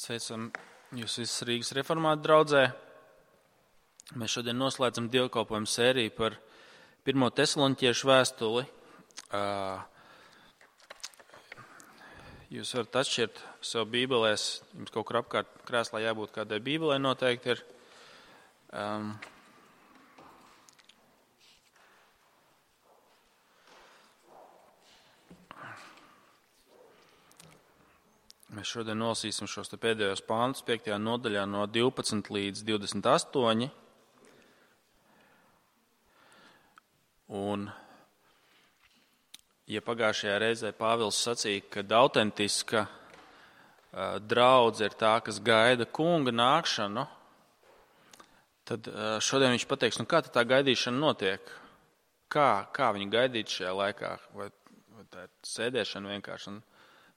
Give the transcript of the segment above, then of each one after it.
Sveicam jūs visus Rīgas reformātu draudzē. Mēs šodien noslēdzam dievkalpojumu sēriju par 1. Tesaloniķiešu vēstuli. Jūs varat atšķirt sev bībelēs, jums kaut kur apkārt krēslā jābūt kādai bībelē noteikti ir. Mēs šodien nolasīsim šos te pēdējos pāntus 5. nodaļā no 12 līdz 28. Un, ja pagājušajā reizē Pāvils sacīja, ka autentiska draudze ir tā, kas gaida kunga nākšanu, tad šodien viņš pateiks, kā tā gaidīšana notiek? Kā viņi gaidīt šajā laikā? Vai tā ir sēdēšana vienkārši?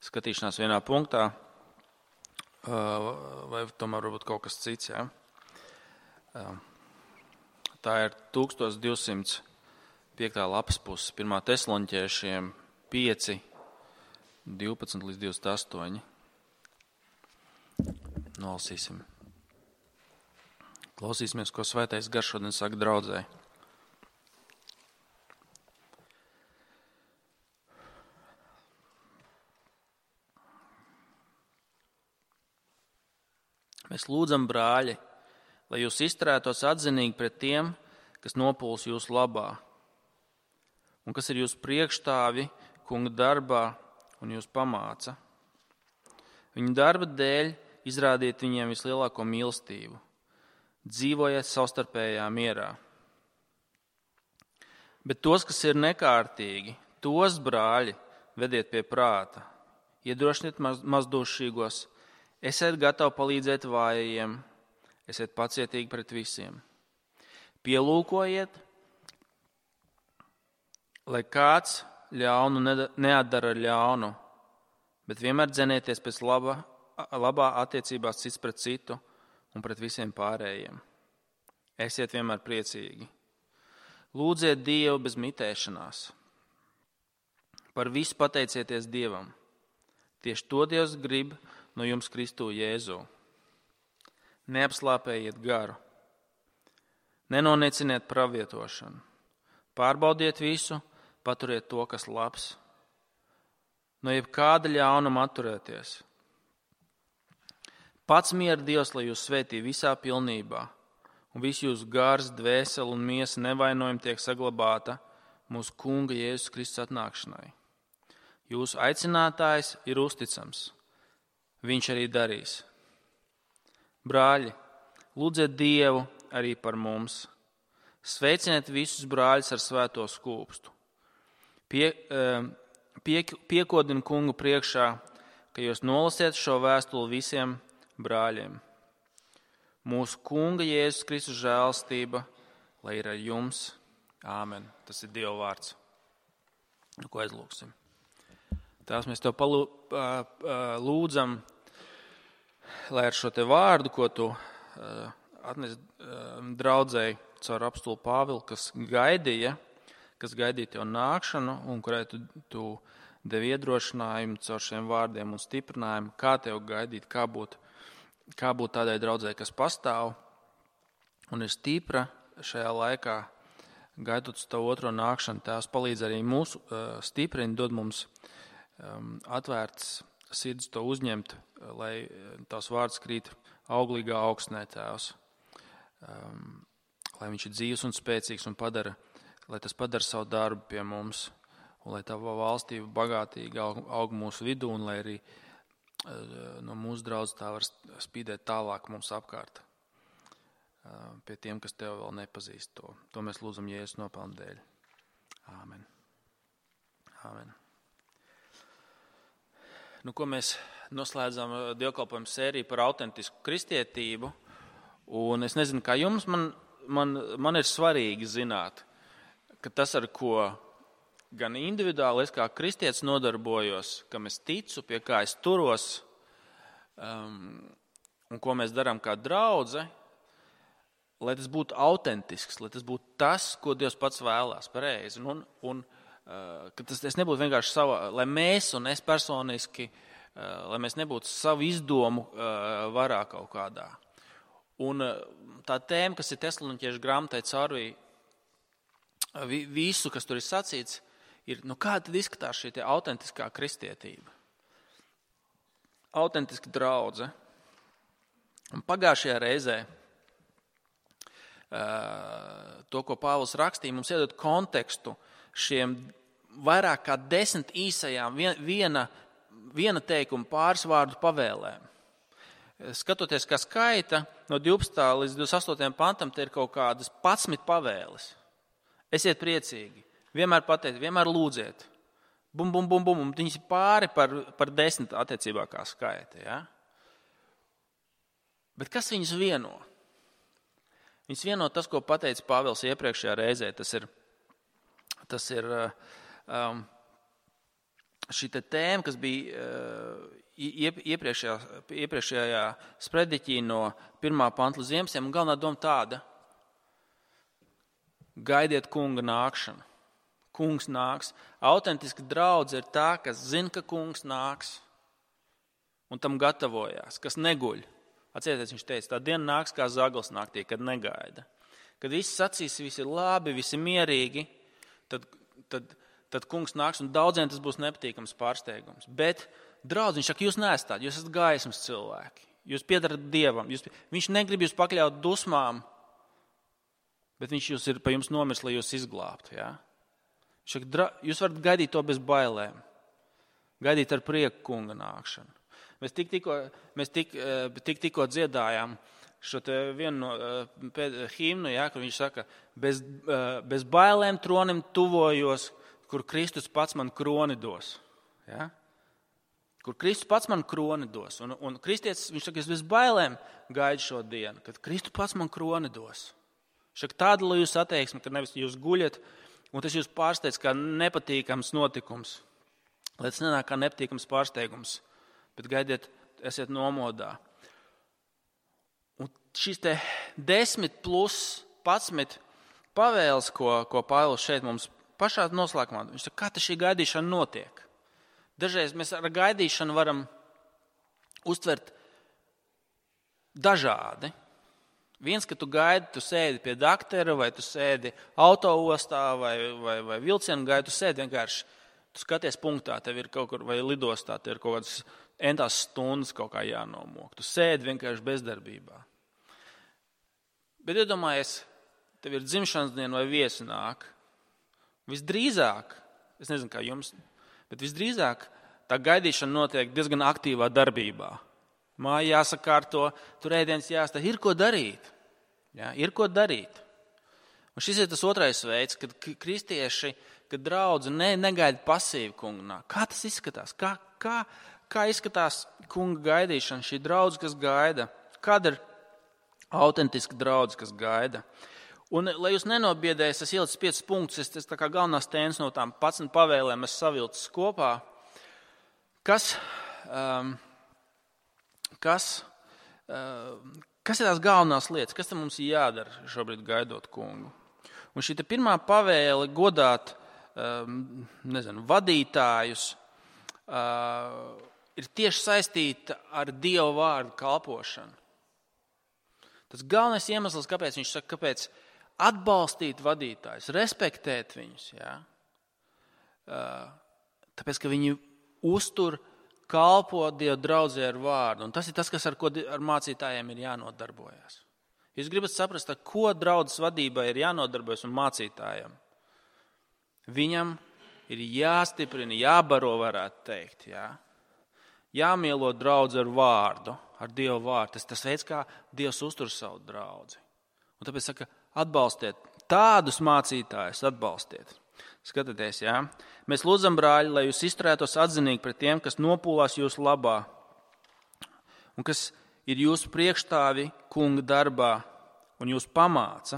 Skatīšanās vienā punktā, vai tomēr varbūt kaut kas cits. Ja? Tā ir 1205. lapas puses, 1. Tesaloniķiešiem 5, 12 līdz 28. Nolasīsim. Klausīsimies, ko Svētais Gars šodien saka draudzē. Mēs lūdzam, brāļi, lai jūs izturētos atzinīgi pret tiem, kas nopūlas jūsu labā, un kas ir jūsu priekšstāvi kunga darbā un jūs pamāca. Viņu darba dēļ izrādiet viņiem vislielāko mīlestību, dzīvojiet savstarpējā mierā. Bet tos, kas ir nekārtīgi, tos, brāļi, vediet pie prāta, iedrošiniet mazdušīgos, esiet gatavi palīdzēt vājajiem, esiet pacietīgi pret visiem. Pielūkojiet, lai kāds ļaunu neatdara ļaunu, bet vienmēr dzenieties pēc labā attiecībās cits pret citu un pret visiem pārējiem. Esiet vienmēr priecīgi. Lūdziet Dievu bez mitēšanās. Par visu pateicieties Dievam. Tieši to Dievs grib no jums Kristu Jēzu. Neapslāpējiet garu. Nenonieciniet pravietošanu. Pārbaudiet visu, paturiet to, kas labs. No jebkāda ļaunuma atturēties. Pats miera Dievs, lai jūs svētī visā pilnībā, un visu jūsu gars, dvēseli un miesa nevainojumi tiek saglabāta mūsu Kunga Jēzus Kristus atnākšanai. Jūsu aicinātājs ir uzticams. Viņš arī darīs. Brāļi, lūdziet Dievu arī par mums. Sveiciniet visus brāļus ar svēto skūpstu. Piekodinu kungu priekšā, ka jūs nolasiet šo vēstuli visiem brāļiem. Mūsu Kunga Jēzus Kristus žēlastība, lai ir ar jums. Āmen. Tas ir Dieva vārds. Ko aizlūksim? Tās mēs tev lūdzam, lai ar šo te vārdu, ko tu atnes draudzēji caur apostolu Pāvilu, kas gaidīja tev nākšanu un kurai tu devi iedrošinājumu caur šiem vārdiem un stiprinājumu, kā tev gaidīt, kā būt tādai draudzēji, kas pastāv un ir stipra šajā laikā, gaidot uz tavu otro nākšanu. Tēvs palīdz arī mūsu stiprini, dod mums atvērts sirds to uzņemt, lai tavs vārds krīt auglīgā augstnē, Tēvs. Lai viņš ir dzīvs un spēcīgs un lai tas padara savu darbu pie mums, un lai tava valstība bagātīgi aug mūsu vidū, un lai arī no mūsu draudzes tā var spīdēt tālāk mums apkārt pie tiem, kas tev vēl nepazīst to. To mēs lūdzam Jēzus nopelnu dēļ. Āmen. Āmen. Ko mēs noslēdzam dievkalpojumu sēriju par autentisku kristietību, un es nezinu, kā jums, man ir svarīgi zināt, ka tas, ar ko gan individuāli es kā kristietis nodarbojos, kam es ticu, pie kā es turos, un ko mēs darām kā draudze, lai tas būtu autentisks, lai tas būtu tas, ko Dievs pats vēlās, pareizi, un ka tas nebūtu vienkārši lai mēs un es personiski lai mēs nebūtu savu izdomu varā kaut kādā. Un tā tēma, kas ir Tesaloniķiešu grāmatai caurvī visu, kas tur ir sacīts, ir, kā tad izskatās šī autentiskā kristietība? Autentiska draudze. Un pagājušajā reizē to, ko Pāvils rakstīja, mums iedod kontekstu šiem vairāk kā 10 īsajām viena teikuma pāris vārdu pavēlēm. Skatoties, kā skaita no 12. līdz 28. pantam, te ir kaut kādas 11 pavēles. Esiet priecīgi, vienmēr pateikt, vienmēr lūdziet. Bum, bum, bum, bum, un viņas ir pāri par 10 attiecībā kā skaita. Ja? Bet kas viņus vieno? Viņus vieno tas, ko pateica Pāvils iepriekšējā reizē. Tas ir šī tēma, kas bija iepriekšējā sprediķī no 1. panta līdz 11. Un galvenā doma tāda: gaidiet kunga nākšanu. Kungs nāks. Autentiska draudze ir tā, kas zina, ka kungs nāks un tam gatavojās, kas neguļ. Atcerieties, viņš teica, tā diena nāks kā zaglis naktī, kad negaida. Kad viss sacīs, visi ir labi, visi mierīgi, tad kungs nāks, un daudziem tas būs nepatīkams pārsteigums. Bet draudz, viņš saka, jūs neesat tādi, jūs esat gaismas cilvēki, jūs piedarat Dievam, viņš negrib jūs pakļaut dusmām, bet viņš jūs ir pa jums nomirs, lai jūs izglābtu. Ja? Jūs varat gaidīt to bez bailēm, gaidīt ar prieku kunga nākšanu. Mēs tikko dziedājām šo vienu no himnu, ja, kur viņš saka, bez bailēm tronim tuvojos, kur Kristus pats man kroni dos. Ja? Kur Kristus pats man kroni dos. Un kristietis, viņš saka, es bez bailēm gaidu šo dienu, kad Kristus pats man kroni dos. Viņš saka, tāda, lai jūs attieksmi, ka nevis jūs guļat, un tas jūs pārsteidz kā nepatīkams notikums. Lai tas nenāk kā nepatīkams pārsteigums. Bet gaidiet, esiet nomodā. Un šīs 10 plus 11 pavēles, ko Pāvils šeit mums pašā noslēgumā, viņš saka, kā tas šī gaidīšana notiek. Dažreiz mēs ar gaidīšanu varam uztvert dažādi. Viens, ka tu gaidi, tu sēdi pie daktera, vai tu sēdi autoostā, vai vilcienu gaidi, tu sēdi vienkārši, tu skaties punktā, tev ir kaut kur, vai lidostā, tev ir kaut kādas entās stundas kaut kā jānomok. Tu sēdi vienkārši bezdarbībā. Bet iedomājies, tev ir dzimšanas diena vai viesi nāk. Visdrīzāk, es nezinu kā jums, bet visdrīzāk tā gaidīšana notiek diezgan aktīvā darbībā. Māja jāsakārto, tur ēdienas jāstāv, ir ko darīt. Jā, ir ko darīt. Un šis ir tas otrais veids, kad kristieši, kad draudze negaida pasīvi kunga. Kā tas izskatās? Kā izskatās kunga gaidīšana, šī draudze, kas gaida? Kāda ir autentiska draudze, kas gaida? Un, lai jūs nenobiedēs, es ielicu 5 punktus, es tā kā galvenās tēmas no tām 11 pavēlēm es savilcis kopā. Kas ir tās galvenās lietas? Kas tam mums ir jādara šobrīd gaidot kungu? Un šī pirmā pavēle godāt vadītājus ir tieši saistīta ar Dieva vārdu kalpošanu. Tas galvenais iemesls, kāpēc viņš saka, kāpēc atbalstīt vadītājus, respektēt viņus. Ja? Tāpēc, ka viņi uztur, kalpo Dieva draudzē ar vārdu. Un tas ir tas, kas ar mācītājiem ir jānodarbojas. Jūs gribat saprast, ar ko draudzes vadībai ir jānodarbojas un mācītājiem. Viņam ir jāstiprina, jābaro, varētu teikt. Ja? Jāmielo draudzi ar vārdu, ar Dieva vārdu. Tas veids, kā Dievs uztur savu draudzi. Un tāpēc saka, atbalstiet tādus mācītājus, atbalstiet. Skatieties, jā. Mēs lūdzam, brāļi, lai jūs izturētos atzinīgi pret tiem, kas nopūlās jūsu labā un kas ir jūsu priekšstāvi kunga darbā un jūs pamāca.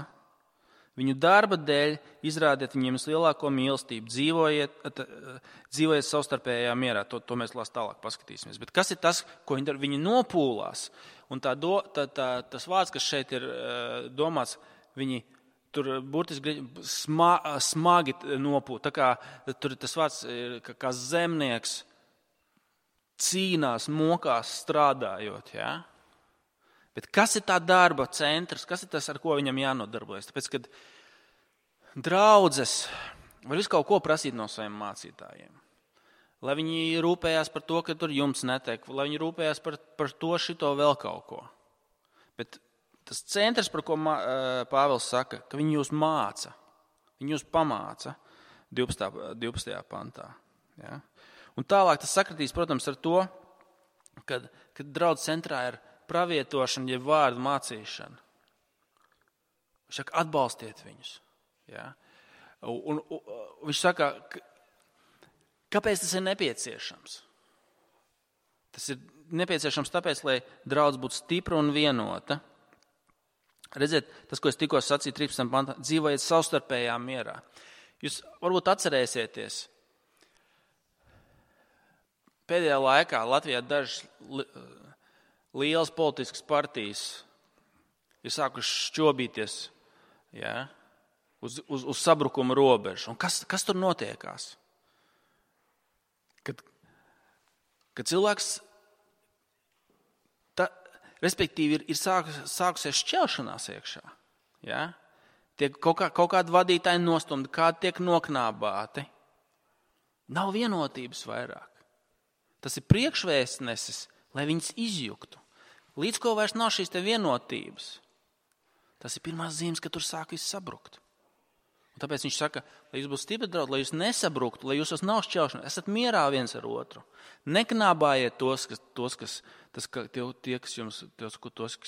Viņu darba dēļ izrādiet viņiem lielāko mīlestību, dzīvojiet savstarpējā mierā. To mēs tālāk paskatīsimies. Bet kas ir tas, ko viņi nopūlās? Un tas vārds, kas šeit ir domāts, viņi tur burtiski smagi nopūt. Tā kā tur tas vārds ir kā zemnieks cīnās, mokās, strādājot. Ja? Bet kas ir tā darba centrs? Kas ir tas, ar ko viņam jānodarbojas? Tāpēc, kad draudzes var visu kaut ko prasīt no saviem mācītājiem. Lai viņi rūpējās par to, ka tur jumts netiek, lai viņi rūpējās par to, šito vēl kaut ko. Bet tas centrs, par ko Pāvils saka, ka viņi jūs māca, viņi jūs pamāca 12. pantā. Ja? Un tālāk tas sakritīs, protams, ar to, kad draudz centrā ir pravietošana, jeb vārdu mācīšana. Viņš saka, atbalstiet viņus. Ja? Un viņš saka, kāpēc tas ir nepieciešams? Tas ir nepieciešams tāpēc, lai draudz būtu stipra un vienota. Redziet, tas, ko es tikko sacīju 13. pantā, dzīvojiet savstarpējā mierā. Jūs varbūt atcerēsieties, pēdējā laikā Latvijā dažas lielas politiskas partijas ir sākušas šķobīties, ja, uz sabrukuma robežu. Un kas tur notiekās? Kad cilvēks, respektīvi, ir sākusies šķelšanās iekšā. Ja? Tiek kaut kādi vadītāji nostumti, kādi tiek noknābāti. Nav vienotības vairāk. Tas ir priekšvēstnesis, lai viņas izjuktu. Līdz ko vairs nav šīs te vienotības. Tas ir pirmās zīmes, ka tur sāk viss sabrukt. Un tāpēc viņš saka, lai jūs būtu stipri draugi, lai jūs nesabruktu, lai jūs nav šķelšana, esat mierā viens ar otru. Neknābājiet tos, kas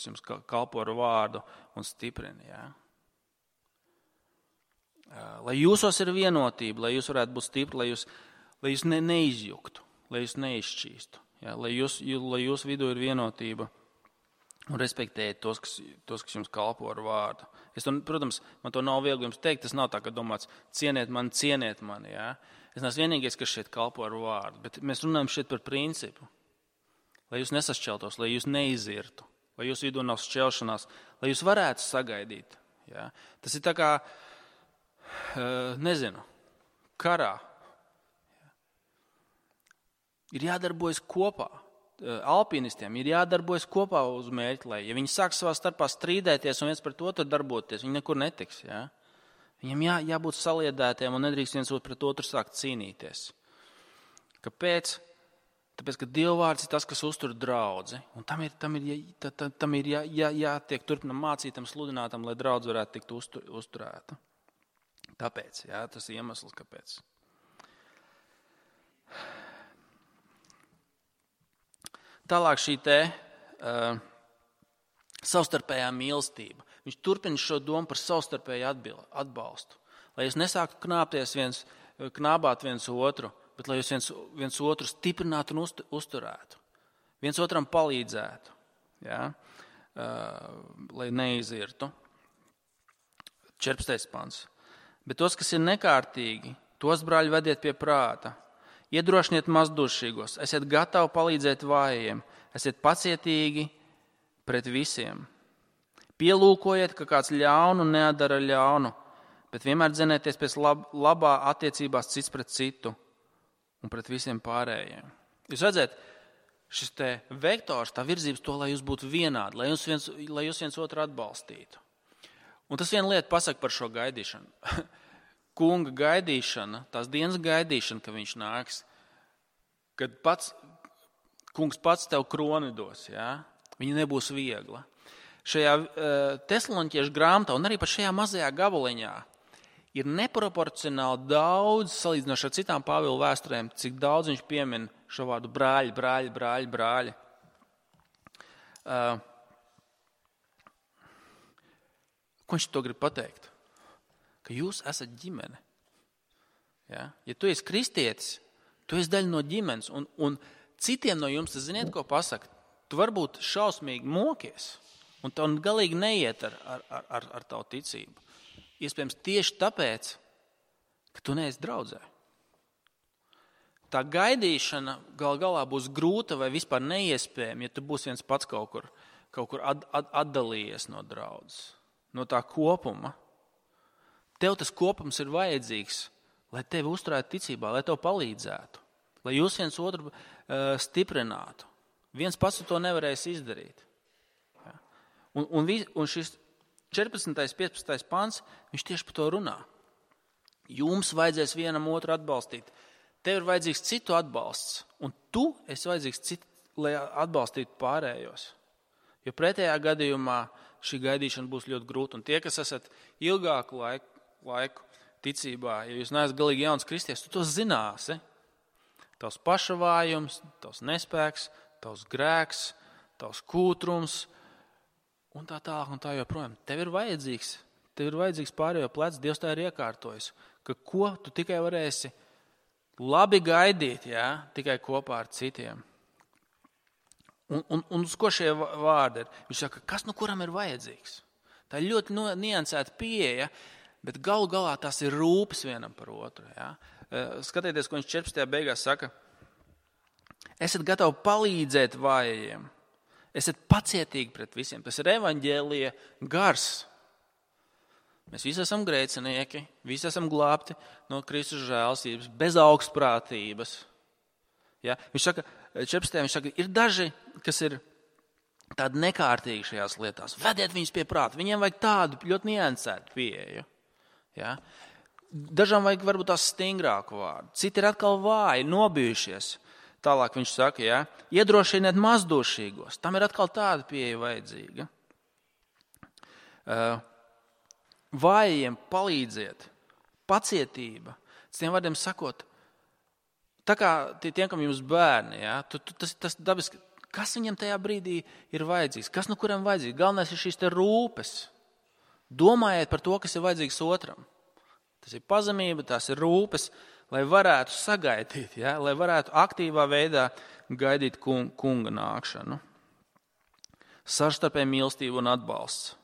jums kalpo ar vārdu un stiprina. Ja? Lai jūsos ir vienotība, lai jūs varētu būt stipri, lai jūs neizjuktu, lai jūs neizšķīstu. Ja? Lai jūs vidū ir vienotība un respektējiet tos, kas jums kalpo ar vārdu. Protams, man to nav viegli jums teikt, tas nav tā, ka domāts, cieniet mani. Ja? Es neesmu vienīgais, kas šeit kalpo ar vārdu, bet mēs runājam šeit par principu. Lai jūs nesašķeltos, lai jūs neizirtu, lai jūs vidū nav šķelšanās, lai jūs varētu sagaidīt. Ja? Tas ir tā kā, karā. Ir jādarbojas kopā. Alpinistiem ir jādarbojas kopā uz mērķi, lai, ja viņi sāk savā starpā strīdēties un viens pret otru darboties, viņi nekur netiks. Ja? Viņam jābūt saliedētiem un nedrīkst viens pret otru sākt cīnīties. Kāpēc? Tāpēc, ka Dieva vārds ir tas, kas uztur draudzi, un tam ir jātiek turpinam mācītam, sludinātam, lai draudz varētu tikt uzturēta. Tāpēc, jā, tas ir iemesls, kāpēc. Tālāk šī savstarpējā mīlestība. Viņš turpina šo domu par savstarpēju atbalstu. Lai jūs nesāktu knābāt viens otru, bet lai jūs viens otru stiprinātu un uzturētu. Viens otram palīdzētu, ja? Lai neizirtu. 14. pants. Bet tos, kas ir nekārtīgi, tos, brāļi, vediet pie prāta. Iedrošiniet mazdušīgos, esiet gatavi palīdzēt vājiem, esiet pacietīgi pret visiem. Pielūkojiet, ka kāds ļaunu neatdara ļaunu, bet vienmēr dzenēties pēc labā attiecībās cits pret citu un pret visiem pārējiem. Jūs redzat, šis te vektors, tā virzības to, lai jūs būtu vienādi, lai jūs viens otru atbalstītu. Un tas viena lieta pasaka par šo gaidīšanu. Kunga gaidīšana, tās dienas gaidīšana, ka viņš nāks, kad kungs pats tev kroni dos, ja? Viņa nebūs viegla. Šajā Tesaloniķiešu grāmatā un arī pat šajā mazajā gabaliņā ir neproporcionāli daudz, salīdzinoši ar citām Pāvila vēsturēm, cik daudz viņš piemin šo vārdu brāļi. Ko viņš to grib pateikt? Ka jūs esat ģimene. Ja tu esi kristietis, tu esi daļa no ģimenes, un citiem no jums, tas ziniet, ko pasaka, tu varbūt šausmīgi mokies, un tev galīgi neiet ar tavu ticību. Iespējams tieši tāpēc, ka tu neesi draudzē. Tā gaidīšana galā būs grūta vai vispār neiespējama, ja tu būsi viens pats kaut kur atdalījies no draudzes, no tā kopuma. Tev tas kopums ir vajadzīgs, lai tevi uzturētu ticībā, lai tev palīdzētu, lai jūs viens otru stiprinātu. Viens pats to nevarēs izdarīt. Ja? Un šis 14. 15. pants, viņš tieši par to runā. Jums vajadzēs vienam otru atbalstīt. Tev ir vajadzīgs citu atbalsts, un tu esi vajadzīgs citu, lai atbalstītu pārējos. Jo pretējā gadījumā šī gaidīšana būs ļoti grūta. Un tie, kas esat ilgāku laiku ticībā, ja jūs neesat galīgi jauns kristietis, tu to zināsi. Tavs pašavājums, tavs nespēks, tavs grēks, tavs kūtrums un tā tālāk un tā joprojām. Tev ir vajadzīgs pārējo plecs, Dievs tā ir iekārtojis, ka ko tu tikai varēsi labi gaidīt, ja? Tikai kopā ar citiem. Un uz ko šie vārdi ir? Viņš saka, kas nu kuram ir vajadzīgs? Tā ir ļoti niansēta pieeja, bet galu galā tas ir rūpes vienam par otru. Ja? Skatieties, ko viņš 14. beigās saka. Esat gatavi palīdzēt vājajiem. Esat pacietīgi pret visiem. Tas ir evaņģēlija gars. Mēs visi esam grēcinieki, visi esam glābti no Kristus žēlstības, bez augstprātības. Ja? Viņš saka, 14. viņš saka, ir daži, kas ir tādi nekārtīgi šajās lietās. Vediet viņus pie prāta. Viņiem vajag tādu ļoti niansētu pieeju. Ja? Dažām vajag varbūt tās stingrāku vārdu. Citi ir atkal vāji, nobijušies. Tālāk viņš saka, ja? Iedrošiniet mazdošīgos. Tam ir atkal tāda pieeja vajadzīga. Vājiem palīdziet, pacietība. Citiem vārdiem sakot, tā kā tiem, kam jums bērni, ja, tas dabiski, kas viņam tajā brīdī ir vajadzīgs, kas no kuram vajadzīgs. Galvenais ir šīs te rūpes. Domājiet par to, kas ir vajadzīgs otram. Tas ir pazemība, tās ir rūpes, lai varētu sagaidīt, ja, lai varētu aktīvā veidā gaidīt kunga nākšanu. Savstarpēja mīlestība un atbalsts.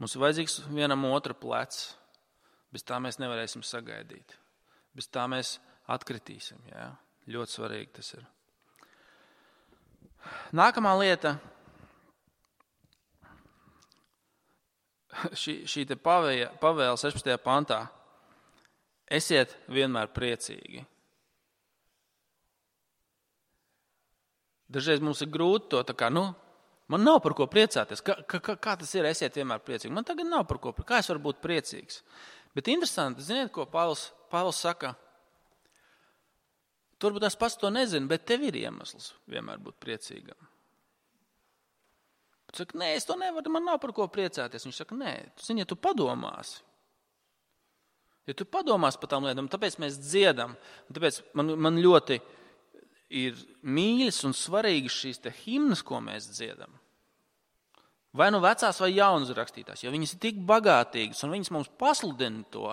Mums ir vajadzīgs vienam otra plecs. Bez tā mēs nevarēsim sagaidīt. Bez tā mēs atkritīsim. Jā. Ļoti svarīgi tas ir. Nākamā lieta. Šī te pavēle 16. pantā. Esiet vienmēr priecīgi. Dažreiz mums ir grūti to tā kā, man nav par ko priecāties. Kā tas ir, esiet vienmēr priecīgi? Man tagad nav par ko priecāties. Kā es varu būt priecīgs? Bet interesanti, ziniet, ko Pāvils saka? Turbūt es pats to nezinu, bet tev ir iemesls vienmēr būt priecīgam. Bet saka, nē, es to nevaru, man nav par ko priecāties. Viņš saka, nē, tu zini, ja tu padomāsi. Ja tu padomāsi par tām lietām, tāpēc mēs dziedam. Tāpēc man ļoti ir mīļas un svarīgas šīs te himnas, ko mēs dziedam. Vai nu vecās vai jaunas rakstītās, jo viņas ir tik bagātīgas un viņas mums pasludina to.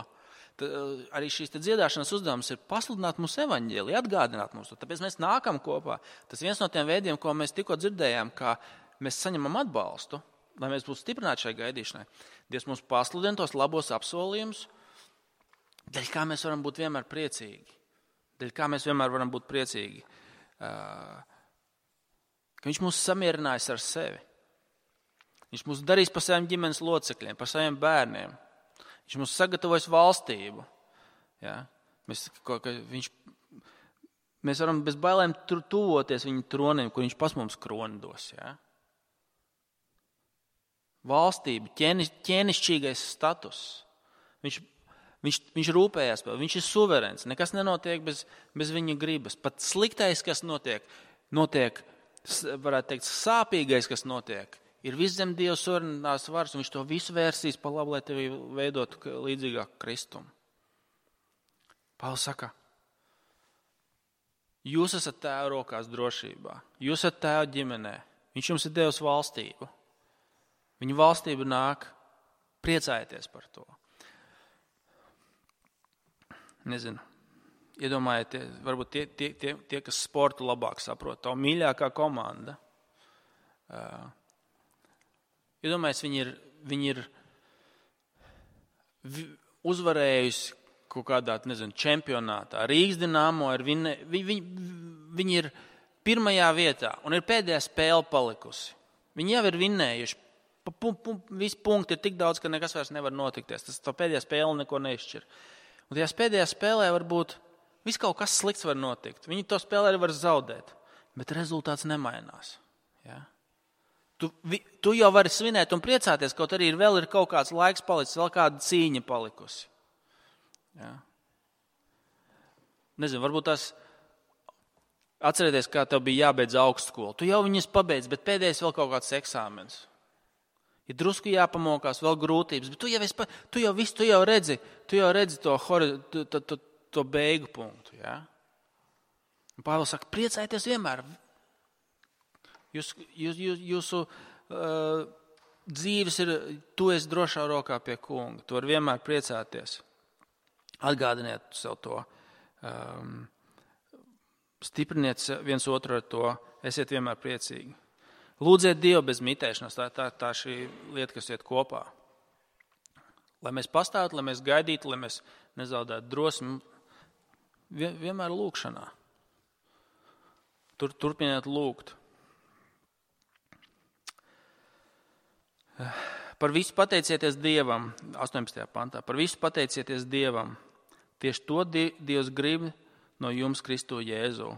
Arī šīs te dziedāšanas uzdevums ir pasludināt mums evaņģēliju, atgādināt mums to. Tāpēc mēs nākam kopā. Tas viens no tiem veidiem, ko mēs tikko dzirdējām, kā mēs saņemam atbalstu, lai mēs būtu stiprināti šai gaidīšanai. Dievs mums pasludina tos labos apsolījumus, dēļ kā mēs varam būt vienmēr priecīgi. Dēļ kā mēs vienmēr varam būt priecīgi. Ka viņš mūs samierinājis ar sevi. Viņš mūs darīs par saviem ģimenes locekļiem, par saviem bērniem. Viņš mūs sagatavojas valstību. Ja? Mēs varam bez bailēm tuvoties viņa tronim, kur viņš pas mums kroni dos. Ja? Valstība, ķēnišķīgais status. Viņš rūpējās par, viņš ir suverēns. Nekas nenotiek bez viņa gribas. Pat sliktais, kas notiek, varētu teikt, sāpīgais, kas notiek, ir viss zem Dieva suverēnās varas, un viņš to visu vērsīs pa labu, lai tevi veidotu līdzīgāk Kristumu. Pāvils saka, jūs esat Tēva rokās drošībā, jūs esat Tēva ģimenē, viņš jums ir devis valstību. Viņa valstība nāk, priecājieties par to. Nezinu, iedomājieties, varbūt tie kas sportu labāk saprot, tā mīļākā komanda. Iedomājies, viņi ir uzvarējusi kaut kādā, čempionātā. Rīgas Dinamo viņi ir pirmajā vietā un ir pēdējā spēle palikusi. Viņi jau ir vinnējuši. Visi punkti ir tik daudz, ka nekas vairs nevar notikties. Tā pēdējā spēle neko neizšķir. Un tajā pēdējā spēlē varbūt viss kaut kas slikts var notikt. Viņi to spēlē arī var zaudēt. bet rezultāts nemainās. Ja? Tu jau vari svinēt un priecāties, kaut arī vēl ir kaut kāds laiks palicis, vēl kāda cīņa palikusi. Ja? Nezinu, varbūt tas atcerieties, kā tev bija jābeidz augstskola. Tu jau viņas pabeidz, bet pēdējais vēl kaut kāds eksāmens. Ir drusku jāpamokās, vēl grūtības, bet tu jau redzi to beigu punktu. Ja? Un Pāvils saka, priecājieties vienmēr. Jūsu dzīves ir, tu esi drošā rokā pie kunga. Tu vari vienmēr priecāties. Atgādiniet sev to. Stipriniet viens otru ar to. Esiet vienmēr priecīgi. Lūdziet Dievu bez mitēšanās. Tā šī lieta, kas iet kopā. Lai mēs pastāvētu, lai mēs gaidītu, lai mēs nezaudētu drosmi. Vienmēr lūkšanā. Turpiniet lūgt. Par visu pateicieties Dievam, 18. pantā, par visu pateicieties Dievam. Tieši to Dievs grib no jums Kristu Jēzu.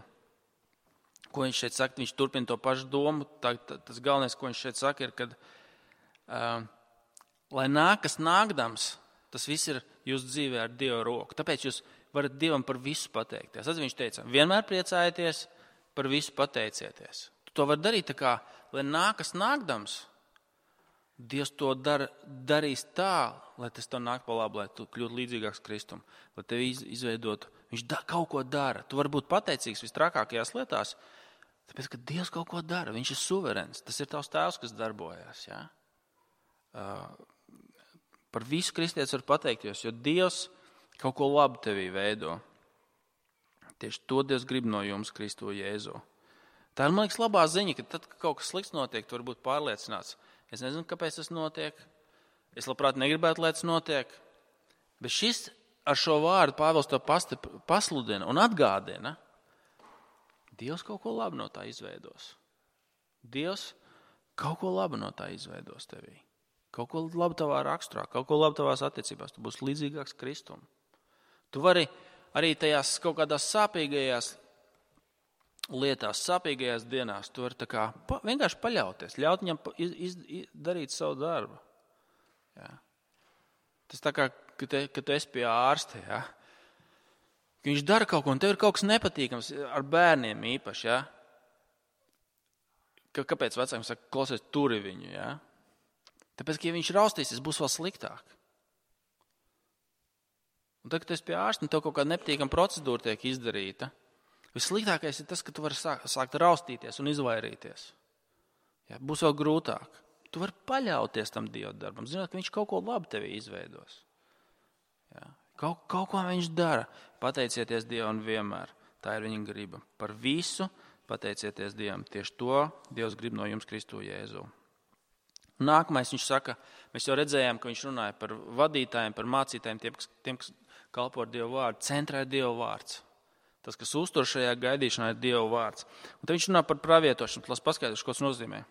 Ko viņš šeit saka? Viņš turpina to pašu domu. Tas galvenais, ko viņš šeit saka, ir, kad lai nākas nākdams, tas viss ir jūsu dzīvē ar Dievu roku. Tāpēc jūs varat Dievam par visu pateikties. Tad viņš teica, vienmēr priecājieties, par visu pateicieties. Tu to vari darīt tā kā, lai nākas nākdams, Dievs to darīs tā, lai tas tev nāk pa labu, lai tu kļūtu līdzīgāks Kristum, lai tevi izveidotu. Viņš kaut ko dara. Tu vari būt pateicīgs vistrakākajās lietās, tāpēc, ka Dievs kaut ko dara. Viņš ir suverēns. Tas ir tavs tēvs, kas darbojas. Ja? Par visu kristietis var pateikties, jo Dievs kaut ko labu tevī veido. Tieši to Dievs grib no jums, Kristu Jēzu. Tā ir, man liekas, labā ziņa, ka tad, kad kaut kas slikts notiek, tu vari būt pārliecināts. Es nezinu, kāpēc tas notiek. Es labprāt negribētu, lai tas notiek. Bet šis ar šo vārdu Pāvils to pasludina un atgādina. Dievs kaut ko labu no tā izveidos. Dievs kaut ko labu no tā izveidos tevī. Kaut ko labu tavā raksturā, kaut ko labu tavās attiecībās. Tu būsi līdzīgāks Kristum. Tu vari arī tajās kaut kādās sāpīgajās lietās, sāpīgajās dienās, tu vari tā kā vienkārši paļauties, ļaut viņam darīt savu darbu. Ja. Tas tā kā, kad tu esi pie ārsta, ja. Viņš dara kaut ko, un tev ir kaut kas nepatīkams ar bērniem īpaši. Ja. Kāpēc vecākiem saka, klausies, turi viņu? Ja. Tāpēc, ka ja viņš raustīsies, būs vēl sliktāk. Un tad, kad tu esi pie ārsta, un tev kaut kāda nepatīkama procedūra tiek izdarīta, vissliktākais ir tas, ka tu vari sākt raustīties un izvairīties. Ja, būs vēl grūtāk. Tu vari paļauties tam Dieva darbam, zinot, ka viņš kaut ko labu tevī izveidos. Ja, kaut ko viņš dara. Pateicieties Dievam vienmēr. Tā ir viņa griba. Par visu pateicieties Dievam. Tieši to Dievs grib no jums Kristu Jēzu. Nākamais viņš saka, mēs jau redzējām, ka viņš runāja par vadītājiem, par mācītājiem, tiem, kas kalpo ar Dievu vārdu. Centrā ir Dieva vārds. Tas, kas uztur šajā gaidīšanā, ir Dieva vārds. Un tad viņš runā par pravietošanu. Las paskaidrošu, ko tas nozīmē.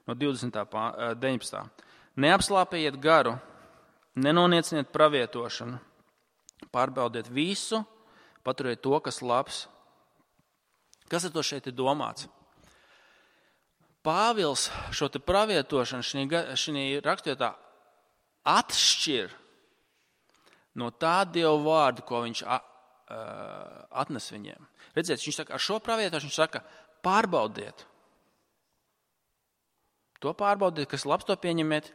No 19. Neapslāpējiet garu, nenonieciniet pravietošanu, pārbaudiet visu, paturiet to, kas labs. Kas ar to šeit ir domāts? Pāvils šo te pravietošanu šī rakstvietā atšķir no tā Dieva vārdu, ko viņš atnes viņiem. Redziet, viņš saka, ar šo pravietošanu viņš saka, pārbaudiet. To pārbaudiet, kas labs, to pieņemiet,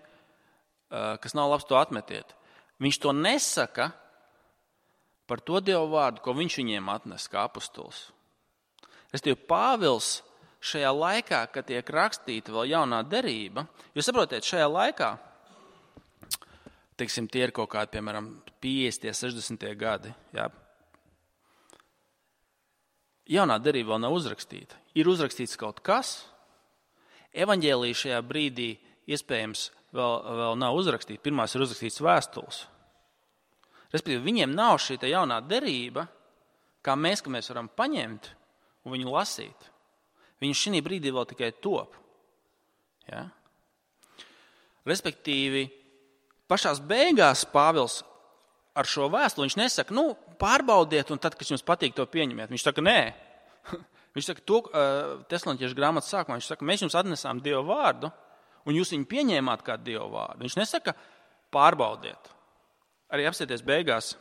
kas nav labs, to atmetiet. Viņš to nesaka par to Dievu vārdu, ko viņš viņiem atnes kā apustulis. Restīvi, Pāvils šajā laikā, kad tiek rakstīta vēl jaunā derība, jūs saprotiet, šajā laikā, teiksim, tie ir kaut kādi, piemēram, 50, 60 gadi, jā. Jaunā derība vēl nav uzrakstīta. Ir uzrakstīts kaut kas. Evaņģēlija šajā brīdī iespējams vēl nav uzrakstīta. Pirmās ir uzrakstīts vēstules. Respektīvi, viņiem nav šī jaunā derība, kā mēs varam paņemt un viņu lasīt. Viņi šī brīdī vēl tikai top. Ja? Respektīvi, pašās beigās Pāvils ar šo vēstuli viņš nesaka, pārbaudiet, un tad, kad jums patīk, to pieņemiet. Viņš saka, nē, Viņš saka, to Tesaloniešu grāmatas sākumā, viņš saka, mēs jums atnesām Dieva vārdu, un jūs viņu pieņēmāt kā Dieva vārdu. Viņš nesaka, pārbaudiet. Arī apsieties beigās,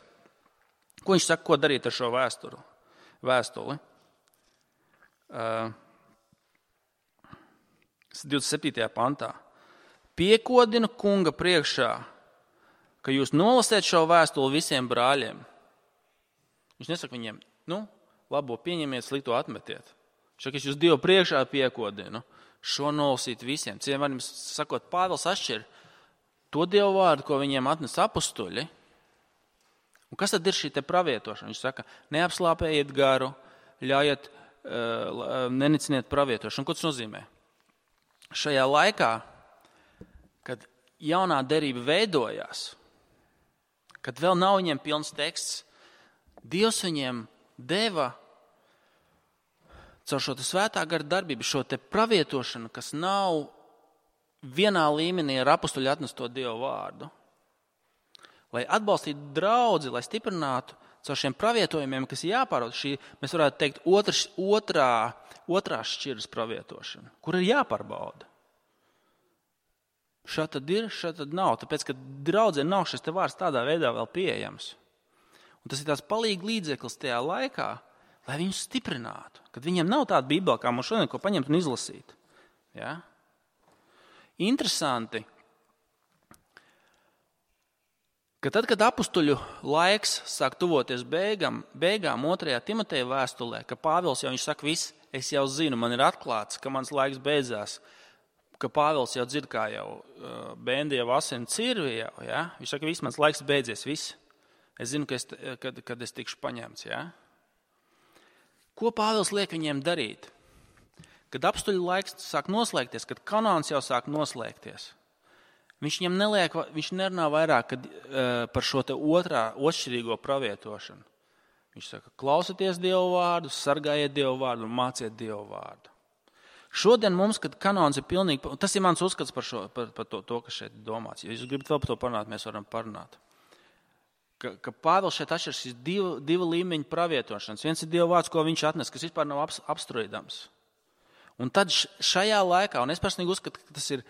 ko viņš saka, ko darīt ar šo vēstuli. 27. pantā. Piekodinu kunga priekšā, ka jūs nolasiet šo vēstuli visiem brāļiem. Viņš nesaka viņiem, labo pieņemiet, slikto atmetiet. Viņš saka, es jūs Dievu priekšā piekodinu, šo nolasīt visiem. Citiem vārdiem sakot, Pāvils atšķir to Dievu vārdu, ko viņiem atnes apustuļi. Un kas tad ir šī te pravietošana? Viņš saka, neapslāpējiet garu, ļaujiet, neniciniet pravietošanu. Ko tas nozīmē? Šajā laikā, kad jaunā derība veidojās, kad vēl nav viņiem pilns teksts, Dievs viņiem deva caur šo te svētā gara darbību, šo te pravietošanu, kas nav vienā līmenī ar apustuļu atnesto Dievu vārdu. Lai atbalstītu draudzi, lai stiprinātu caur šiem pravietojumiem, kas ir jāpārauda, šī, mēs varētu teikt, otrās šķiras pravietošana, kur ir jāpārbauda. Šā tad ir, šā tad nav, tāpēc, ka draudzē nav šis te vārds tādā veidā vēl pieejams. Un tas ir tās palīgi līdzeklis tajā laikā, lai viņus stiprinātu, kad viņiem nav tāda bībele, kā mums šodien, ko paņemt un izlasīt. Ja? Interesanti, ka tad, kad apustuļu laiks sāk tuvoties beigām 2. Timoteja vēstulē, ka Pāvils jau viņš saka, viss, es jau zinu, man ir atklāts, ka mans laiks beidzās, ka Pāvils jau dzird, kā jau bēndi jau asina cirvi jau, ja? Viņš saka, viss, mans laiks beidzies, viss. Es zinu, kad es tikšu paņemts, ja? Ko Pāvils liek viņiem darīt? Kad apustuļu laiks sāk noslēgties, kad kanons jau sāk noslēgties, viņš nerunā vairāk par šo te otršķirīgo pravietošanu. Viņš saka, klausieties Dievu vārdu, sargājiet Dievu vārdu un māciet Dievu vārdu. Šodien mums, kad kanons ir pilnīgi, tas ir mans uzskats par to, kas šeit domāts. Ja jūs gribat vēl par to parunāt, mēs varam parunāt. Ka Pāvils šeit atšķiras šīs divu līmeņu pravietošanas. Viens ir Dieva vārds, ko viņš atnes, kas vispār nav apstrīdams. Un tad šajā laikā, un es personīgi uzskatu, ka tas ir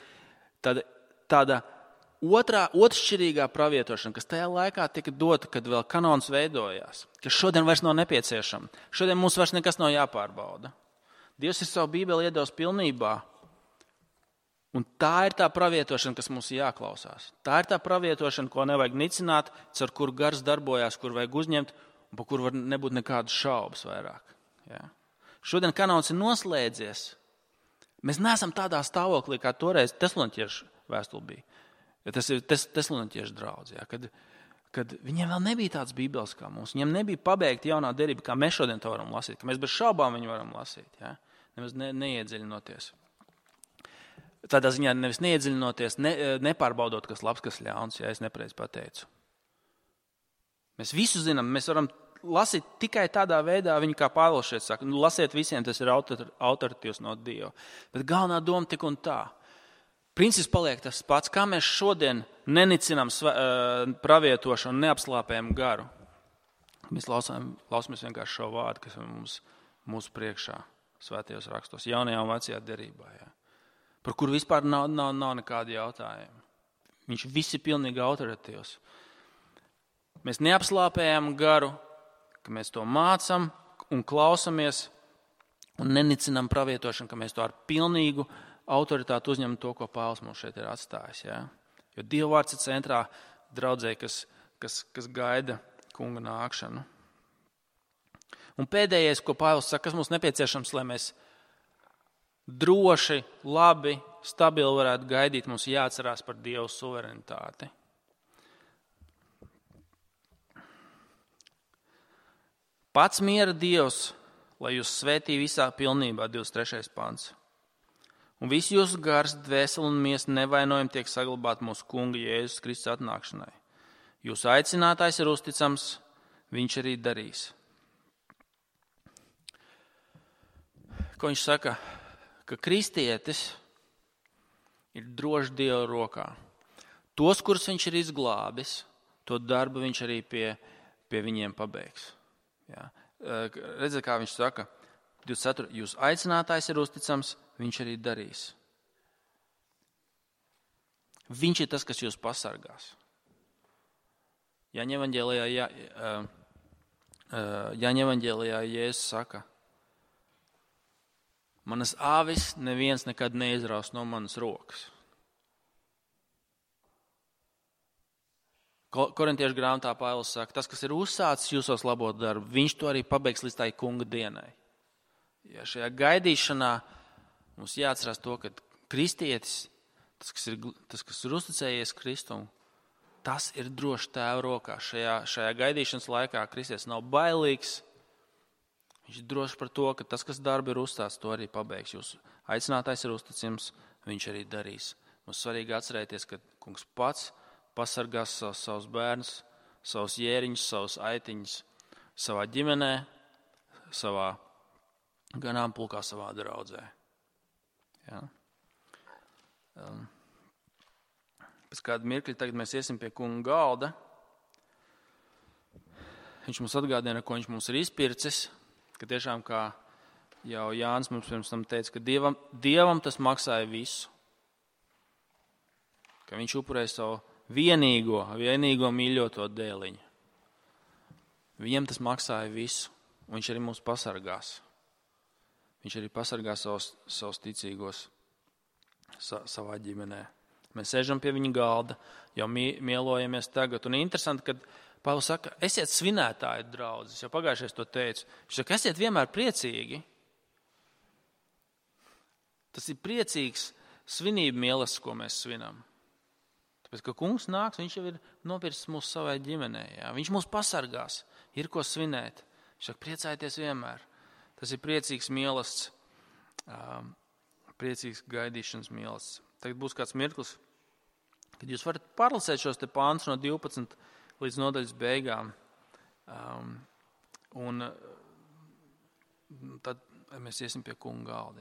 tāda otršķirīgā pravietošana, kas tajā laikā tika dota, kad vēl kanons veidojās, kas šodien vairs nav nepieciešama. Šodien mums vairs nekas nav jāpārbauda. Dievs ir savu Bībeli iedevis pilnībā, un tā ir tā pravietošana, kas mums ir jāklausās. Tā ir tā pravietošana, ko nevajag nicināt, ar kuru gars darbojās, kur vajag uzņemt, un par kuru var nebūt nekādas šaubas vairāk. Ja? Šodien kanons ir noslēdzies. Mēs neesam tādā stāvoklī, kā toreiz Tesaloniešu vēstule bija. Ja tas ir Tesaloniešu draudz, ja? Kad viņiem vēl nebija tāds bībeles kā mums. Viņiem nebija pabeigta jaunā derība, kā mēs šodien to varam lasīt. Ka mēs bez šaubām viņu varam lasīt. Ja? Nemaz neiedziļinoties. Tādā ziņā nevis neiedziļinoties, nepārbaudot, kas labs, kas ļauns, ja es nepareizi pateicu. Mēs visu zinām, mēs varam lasīt tikai tādā veidā, viņu kā Pāvils šeit saka, lasiet visiem, tas ir autoritīvs no Dieva. Bet galvenā doma tik un tā. Princips paliek tas pats, kā mēs šodien nenicinām pravietošanu, neapslāpējam garu. Mēs klausāmies vienkārši šo vārdu, kas ir mūsu priekšā svētajos rakstos, jaunajā un vecajā derībā. Ja? Par kuru vispār nav nekādi jautājumi. Viņš viss ir pilnīgi autoritīvs. Mēs neapslāpējam garu, ka mēs to mācam un klausamies un nenicinām pravietošanu, ka mēs to ar pilnīgu autoritāti uzņemam to, ko Pāvils mums šeit ir atstājis. Ja? Jo Dieva vārds ir centrā draudzē, kas gaida kunga nākšanu. Un pēdējais, ko Pāvils saka, kas mums nepieciešams, lai mēs droši, labi, stabili varētu gaidīt, mums jāatcerās par Dieva suverenitāti. Pats miera Dievs, lai jūs svētī visā pilnībā, 23. pants. Un visi jūsu gars, dvēseli un miesa nevainojumi tiek saglabāti mūsu kunga Jēzus Kristus atnākšanai. Jūsu aicinātājs ir uzticams, viņš arī darīs. Ko viņš saka? Ka kristietis ir droši Dieva rokā. Tos, kurus viņš ir izglābis, to darbu viņš arī pie viņiem pabeigs. Ja? Redziet, kā viņš saka, 24. Jūs aicinātājs ir uzticams, viņš arī darīs. Viņš ir tas, kas jūs pasargās. Jāņa evaņģēlijā Jēzus saka, manas āvis neviens nekad neizraus no manas rokas. Korintiešu grāmatā Pāvils saka, tas, kas ir uzsācis jūsos labot darbu, viņš to arī pabeigs līdz tai kunga dienai. Ja šajā gaidīšanā mums jāatcerās to, ka kristietis, tas, kas ir uzticējies Kristum, tas ir droši Tēva rokā. Šajā gaidīšanas laikā kristietis nav bailīgs. Viņš ir droši par to, ka tas, kas darbu ir uzstāsts, to arī pabeigs. Jūsu aicinātājs ir uzticams, viņš arī darīs. Mums svarīgi atcerēties, ka kungs pats pasargās savus bērnus, savus jēriņus, savus aitiņus savā ģimenē, savā ganāmpulkā, savā draudzē. Ja? Pēc kāda mirkļa tagad mēs iesim pie kunga galda. Viņš mums atgādina, ko viņš mums ir izpircis, ka tiešām, kā jau Jānis mums pirms tam teica, ka Dievam tas maksāja visu. Ka viņš upurēja savu vienīgo mīļoto dēliņu. Viņam tas maksāja visu, un viņš arī mūs pasargās. Viņš arī pasargās savus ticīgos savā ģimenē. Mēs sēžam pie viņa galda, jau mielojamies tagad. Un interesanti, kad Pāvils saka, esiet svinētāji draudzes, jau pagājušais to teicu. Viņš saka, esiet vienmēr priecīgi. Tas ir priecīgs svinību mīlestības, ko mēs svinam. Tāpēc, ka kungs nāks, viņš jau ir nopircis mūsu savai ģimenē. Jā. Viņš mūs pasargās, ir ko svinēt. Viņš saka, priecājieties vienmēr. Tas ir priecīgs mīlestības, priecīgs gaidīšanas mīlestības. Tagad būs kāds mirklis, kad jūs varat pārlasēt šos te pāntus no 12 līdz nodaļas beigām. Un tad mēs iesim pie kunga galda.